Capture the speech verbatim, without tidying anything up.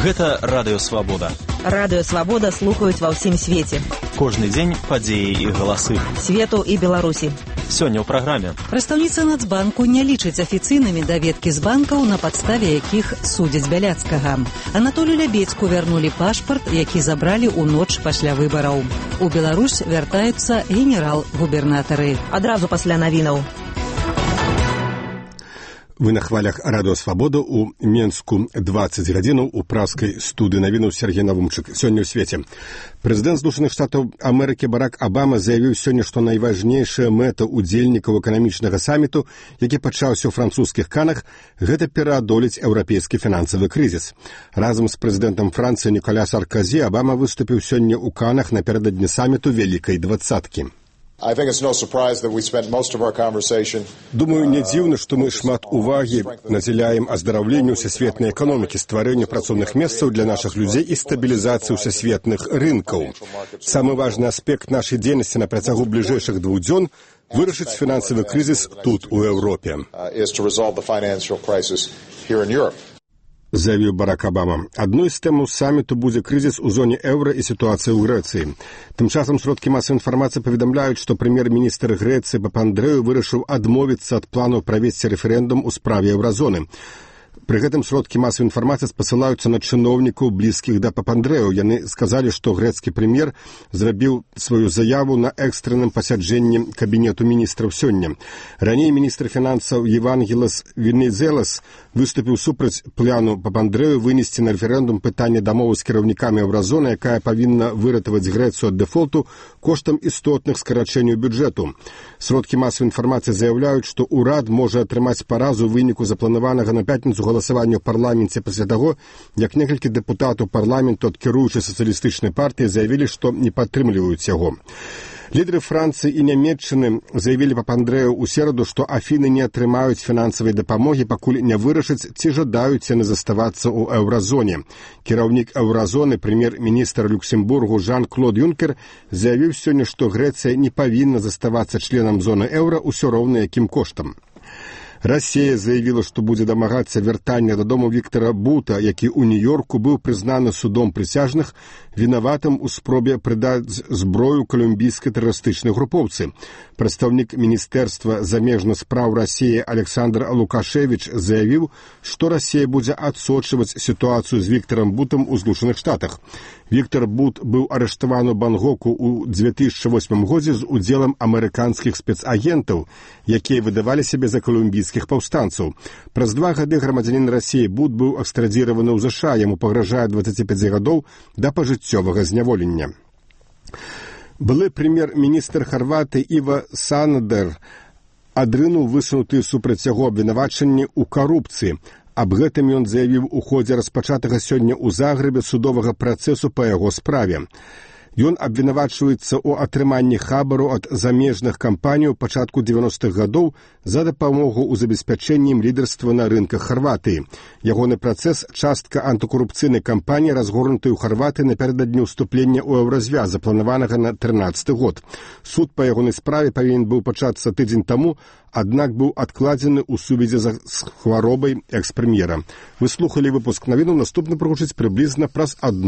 Гэта Радыё Свабода. Радыё Свабода слухаюць ва ўсім свеце. Кожны дзень падзеі і галасы. Свету і Беларусі. Сёння ў праграме. Прадстаўніца Нацбанку не лічыць афіцыйнымі даведкі з банкаў, на падставе якіх судзяць Бяляцкага. Анатолію Лябедзьку вярнулі пашпарт, які забралі ў ноч пасля выбараў. У Беларусь вяртаюцца генерал-губернатары. Адразу пасля навінаў. Вы на хвалях Радыё Свабода у Менску двадцать гадзінаў у праскай студыі навінаў Сергей Навумчык. Сёння ў свеце. Прэзідэнт Злучаных Штатаў Амерыкі Барак Абама заявіў сёння, што найважнейшая мэта ўдзельнікаў эканамічнага саміту, які пачаўся ў французскіх Канах, гэта пераадолець еўрапейскі фінансавы крызіс. Разам з прэзідэнтам Францыі Ніколя Сарказі Абама выступіў сёння ў Канах напярэдадні саміту Вялікай двадцаткі. Думаю, не дзіўна, што мы шмат увагі надзяляем аздараўленню ўсесветнай эканомікі, стварэнню працоўных месцаў для нашых людзей і стабілізацыі ўсесветных рынкаў. Самы важны аспект нашай дзейнасці на працягу бліжэйшых двух дзён – вырашыць фінансавы крызіс тут, у Еўропе. Заявіў Барак Абама. Адной з тэмаў саміту будзе крызіс у зоне еўра і сітуацыя ў Грэцыі. Тым часам сродкі масавай інфармацыі паведамляюць, што прэм'ер-міністр Грэцыі Папандрэу вырашыў адмовіцца ад планаў правесці рэферэндум у справе еўразоны. Пры гэтым сродкі масавай інфармацыі спасылаюцца на чыноўнікаў, блізкіх да Папандрэу. Яны сказалі, што грэцкі прэм'ер зрабіў сваю заяву на экстранным пасяджэнні кабінету міністраў сёння. Раней міністр фінансаў Евангелас Венезелас выступіў супраць плану Папандрэу вынесці на рэферэндум пытанне дамовы з кіраўнікамі еўразоны, якая павінна выратаваць Грэцыю ад дэфолту коштам істотных скарачэнняў бюджэту. Сродкі масавай інфармацыі заяўляюць, што ўрад можа атрымаць паразу ў выніку запланаванага на пятніцу галасавання ў парламенце пасля таго, як некалькі дэпутатаў парламенту ад кіруючай сацыялістычнай партыі заявілі, што не падтрымліваюць яго. Лідары Францыі і Нямецчыны заявілі Папандрэю ў сераду, што Афіны не атрымаюць фінансавай дапамогі, пакуль не вырашаць, ці жадаюць яны заставацца ў еўразоне. Кіраўнік еўразоны, прэм'ер-міністр Люксембургу Жан-Клод Юнкер заявіў сёння, што Грэцыя не павінна заставацца членам зоны еўра ўсё роўна якім коштам. Расія заявіла, што будзе дамагацца вяртання дадому Віктара Бута, які ў Нью-Йорку быў прызнаны судом прысяжных вінаватым у спробе прыдаць зброю калумбійскай тэрарыстычнай групоўцы. Прадстаўнік Міністэрства замежных спраў Расіі Александр Лукашевіч заявіў, што Расія будзе адсочваць сітуацыю з Віктарам Бутам у Злучаных Штатах. Віктар Бут быў арыштаваны ў Бангоку ў дзве тысячы восьмым годзе з удзелам амерыканскіх спецагентаў, якія выдавалі сябе за калумбійскіх паўстанцаў. Праз два гады грамадзянін Расіі Бут быў экстрадзіраваны ў ЗША, яму пагражае дваццаць пяць гадоў да пажыццёвага зняволення. Былы прэм'ер-міністр Харватыі Іва Санадер адрынуў высунутыя супраць яго абвінавачанні ў карупцыі. Аб гэтым ён заявіў у ходзе распачатага сёння ў Загрэбе судовага працэсу па яго справе. Ён абвінавачваецца ў атрыманні хабару ад замежных кампаній у пачатку дзевяностых гадоў за дапамогу ў забеспячэнні ім лідарства на рынках Харватыі. Ягоны працэс – частка антыкарупцыйнай кампаніі, разгорнутай у Харватыі напярэдадні ўступлення ў еўразвяз, запланаванага на трынаццаты год. Суд па ягонай справе павінен быў пачацца тыдзень таму, аднак быў адкладзены ў сувязі з хваробай экс-прэм'ера. Вы слухалі выпуск навінаў, наступны прагучыць прыблізна праз адну